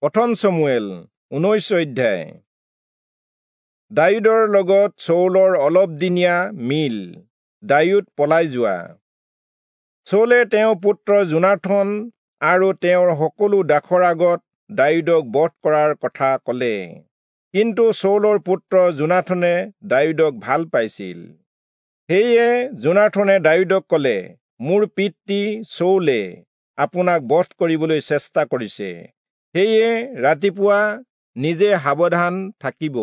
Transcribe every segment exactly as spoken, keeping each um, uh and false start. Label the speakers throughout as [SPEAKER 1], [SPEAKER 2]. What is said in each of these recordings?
[SPEAKER 1] প্ৰথম চমুৱেল ঊনৈশ অধ্যায়। দায়ূদৰ লগত চৌলৰ অলপদিনীয়া মিল, দায়ূদ পলাই যোৱা। চৌলে তেওঁৰ পুত্ৰ যোনাথন আৰু তেওঁৰ সকলো দাসৰ আগত দায়ূদক বধ কৰাৰ কথা কলে। কিন্তু চৌলৰ পুত্ৰ যোনাথনে দায়ূদক ভাল পাইছিল। সেয়ে যোনাথনে দায়ূদক কলে, মোৰ পিতৃ চৌলে আপোনাক বধ কৰিবলৈ চেষ্টা কৰিছে, সেয়ে ৰাতিপুৱা নিজে সাৱধান থাকিব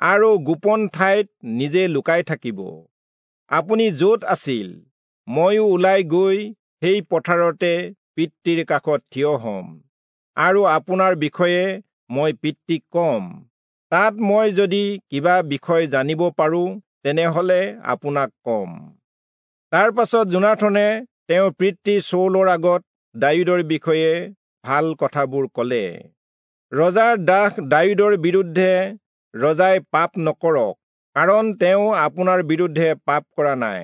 [SPEAKER 1] আৰু গোপন ঠাইত নিজে লুকাই থাকিব। আপুনি য'ত আছিল ময়ো ওলাই গৈ সেই পথাৰতে পিতৃৰ কাষত থিয় হ'ম আৰু আপোনাৰ বিষয়ে মই পিতৃক কম। তাত মই যদি কিবা বিষয় জানিব পাৰোঁ তেনেহ'লে আপোনাক কম। তাৰ পাছত যোনাথনে তেওঁৰ পিতৃ চৌলৰ আগত দায়ূদৰ বিষয়ে ভাল কথাবোৰ কলে। ৰজাৰ দাস দায়ূদৰ বিৰুদ্ধে ৰজাই পাপ নকৰক, কাৰণ তেওঁ আপোনাৰ বিৰুদ্ধে পাপ কৰা নাই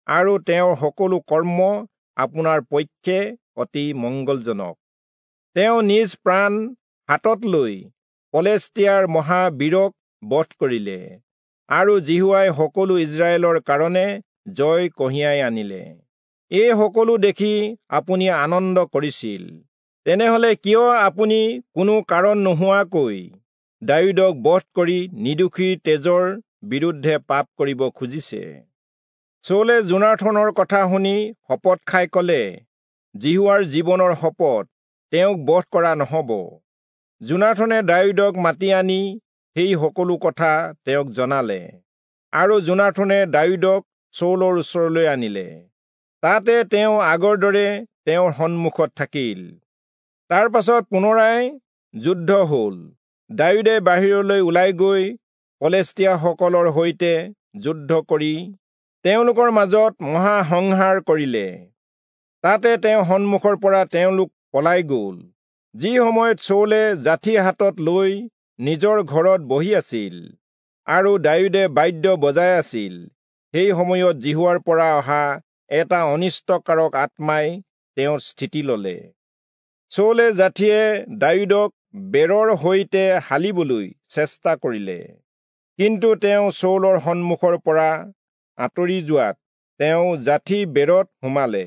[SPEAKER 1] আৰু তেওঁৰ সকলো কৰ্ম আপোনাৰ পক্ষে অতি মংগলজনক। তেওঁ নিজ প্ৰাণ হাতত লৈ পলেষ্টিয়াৰ মহাবীৰক বধ কৰিলে আৰু যিহোৱাই সকলো ইস্ৰায়েলৰ কাৰণে জয় কঢ়িয়াই আনিলে। এই সকলো দেখি আপুনি আনন্দ কৰিছিল। তেনেহলে কিয় আপুনি কোনো কাৰণ নোহোৱাকৈ দায়ূদক বধ কৰি নিৰ্দোষীৰ তেজৰ বিৰুদ্ধে পাপ কৰিব খুজিছে? চৌলে যোনাথনৰ কথা শুনি শপত খাই কলে, যিহোৱাৰ জীৱনৰ শপত, তেওঁক বধ কৰা নহব। যোনাথনে দায়ূদক মাতি আনি সেই সকলো কথা তেওঁক জনালে আৰু যোনাথনে দায়ূদক চৌলৰ ওচৰলৈ আনিলে। তাতে তেওঁ আগৰ দৰে তেওঁৰ সন্মুখত থাকিল। তাৰ পাছত পুনৰাই যুদ্ধ হল। দায়ূদে বাহিৰলৈ ওলাই গৈ পলেষ্টিয়াসকলৰ সৈতে যুদ্ধ কৰি তেওঁলোকৰ মাজত মহাসংহাৰ কৰিলে। তাতে তেওঁ সন্মুখৰ পৰা তেওঁলোক পলাই গল। যি সময়ত চৌলে যাঠি হাতত লৈ নিজৰ ঘৰত বহি আছিল আৰু দায়ূদে বাদ্য বজাই আছিল, সেই সময়ত যিহোৱাৰ পৰা অহা এটা অনিষ্টকাৰক আত্মাই তেওঁৰ স্থিতি ললে। চৌলে যাঠিয়ে দায়ূদক বেৰৰ সৈতে হালিবলৈ চেষ্টা কৰিলে, কিন্তু তেওঁ চৌলৰ সন্মুখৰ পৰা আঁতৰি যোৱাত তেওঁ যাঠি বেৰত সোমালে।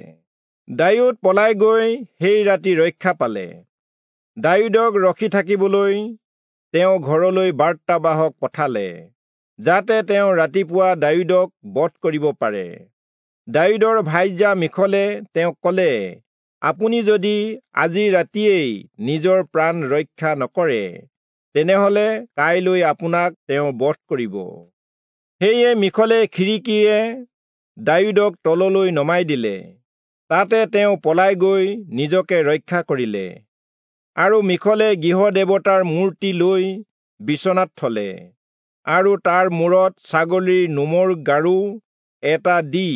[SPEAKER 1] দায়ূদ পলাই গৈ সেই ৰাতি ৰক্ষা পালে। দায়ূদক ৰখি থাকিবলৈ তেওঁ ঘৰলৈ বাৰ্তাবাহক পঠালে, যাতে তেওঁ ৰাতিপুৱা দায়ূদক বধ কৰিব পাৰে। দায়ূদৰ ভাইজা মিখলে তেওঁক কলে, আপুনি যদি আজি ৰাতিয়েই নিজৰ প্ৰাণ ৰক্ষা নকৰে, তেনেহলে কাইলৈ আপোনাক তেওঁ বধ কৰিব। সেয়ে মিখলে খিৰিকীৰে দায়ূদক তললৈ নমাই দিলে। তাতে তেওঁ পলাই গৈ নিজকে ৰক্ষা কৰিলে। আৰু মিখলে গৃহ দেৱতাৰ মূৰ্তি লৈ বিচনাত থলে আৰু তাৰ মূৰত ছাগলীৰ নোমৰ গাৰু এটা দি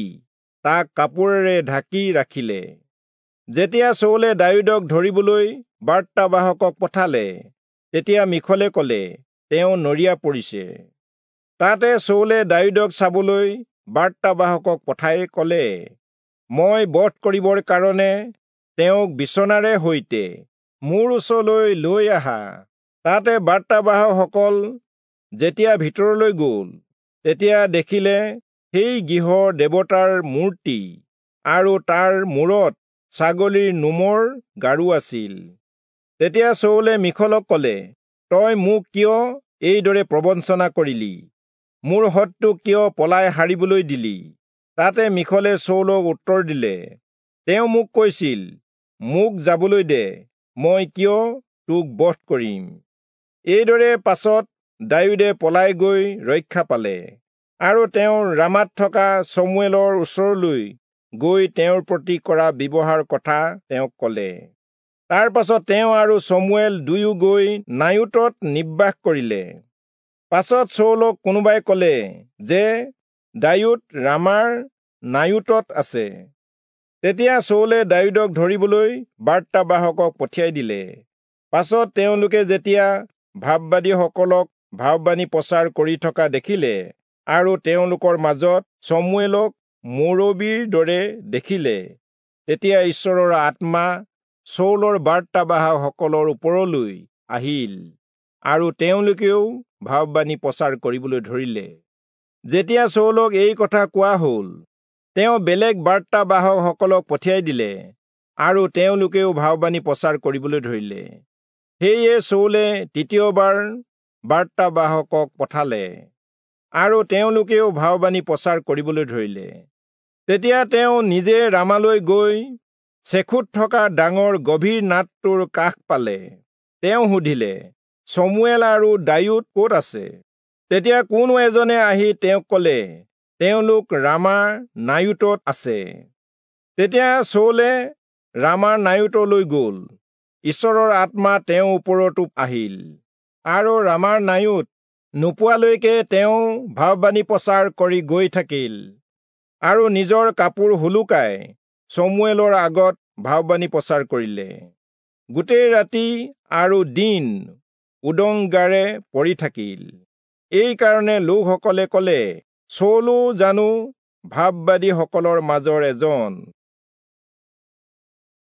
[SPEAKER 1] তাক কাপোৰেৰে ঢাকি ৰাখিলে। যেতিয়া চৌলে দায়ূদক ধৰিবলৈ বাৰ্তাবাহকক পঠালে, তেতিয়া মিখলে কলে, তেওঁ নৰিয়া পৰিছে। তাতে চৌলে দায়ূদক চাবলৈ বাৰ্তাবাহকক পঠাই কলে, মই বধ কৰিবৰ কাৰণে তেওঁক বিচনাৰে সৈতে মোৰ ওচৰলৈ লৈ আহা। তাতে বাৰ্তাবাহকসকল যেতিয়া ভিতৰলৈ গল, তেতিয়া দেখিলে সেই গৃহৰ দেৱতাৰ মূৰ্তি আৰু তাৰ মূৰত ছাগলীৰ নোমৰ গাৰু আছিল। তেতিয়া চৌলে মিখলক কলে, তই মোক কিয় এইদৰে প্ৰবঞ্চনা কৰিলি? মোৰ শত্ৰুক কিয় পলাই সাৰিবলৈ দিলি? তাতে মিখলে চৌলক উত্তৰ দিলে, তেওঁ মোক কৈছিল, মোক যাবলৈ দে, মই কিয় তোক বধ কৰিম? এইদৰে পাছত দায়ূদে পলাই গৈ ৰক্ষা পালে আৰু তেওঁ ৰামাত থকা চমুৱেলৰ ওচৰলৈ গৈ তেওঁৰ প্ৰতি কৰা ব্যৱহাৰ কথা তেওঁক কলে। তাৰ পাছত তেওঁ আৰু চমুৱেল দুয়ো গৈ নায়োতত নিবাস কৰিলে। পাছত চৌলক কোনোবাই কলে যে দায়ূদ ৰামাৰ নায়োতত আছে। তেতিয়া চৌলে দায়ূদক ধৰিবলৈ বাৰ্তাবাহকক পঠিয়াই দিলে। পাছত তেওঁলোকে যেতিয়া ভাববাদীসকলক ভাববাণী প্ৰচাৰ কৰি থকা দেখিলে আৰু তেওঁলোকৰ মাজত চমুৱেলক মুৰব্বীৰ দৰে দেখিলে, তেতিয়া ঈশ্বৰৰ আত্মা চৌলৰ বাৰ্তাবাহকসকলৰ ওপৰলৈ আহিল আৰু তেওঁলোকেও ভাববাণী প্ৰচাৰ কৰিবলৈ ধৰিলে। যেতিয়া চৌলক এই কথা কোৱা হ'ল, তেওঁ বেলেগ বাৰ্তাবাহকসকলক পঠিয়াই দিলে আৰু তেওঁলোকেও ভাববাণী প্ৰচাৰ কৰিবলৈ ধৰিলে। সেয়ে চৌলে তৃতীয়বাৰ বাৰ্তাবাহকক পঠালে আৰু তেওঁলোকেও ভাববাণী প্ৰচাৰ কৰিবলৈ ধৰিলে। তেতিয়া তেওঁ নিজে ৰামালৈ গৈ চেখুত থকা ডাঙৰ গভীৰ নাদটোৰ কাষ পালে। তেওঁ সুধিলে, চমুৱেল আৰু দায়ূদ ক'ত আছে? তেতিয়া কোনো এজনে আহি তেওঁক ক'লে, তেওঁলোক ৰামাৰ নায়ুতত আছে। তেতিয়া চৌলে ৰামাৰ নায়ুতলৈ গ'ল। ঈশ্বৰৰ আত্মা তেওঁৰ ওপৰতো আহিল আৰু ৰামাৰ নায়ুত নোপোৱালৈকে তেওঁ ভাববাণী প্ৰচাৰ কৰি গৈ থাকিল আৰু নিজৰ কাপোৰ সোলোকাই চমুৱেলৰ আগত ভাববাণী প্ৰচাৰ কৰিলে। গোটেই ৰাতি আৰু দিন উদং গাৰে পৰি থাকিল। এইকাৰণে লোকসকলে ক'লে, চৌলো জানো ভাববাদীসকলৰ মাজৰ এজন?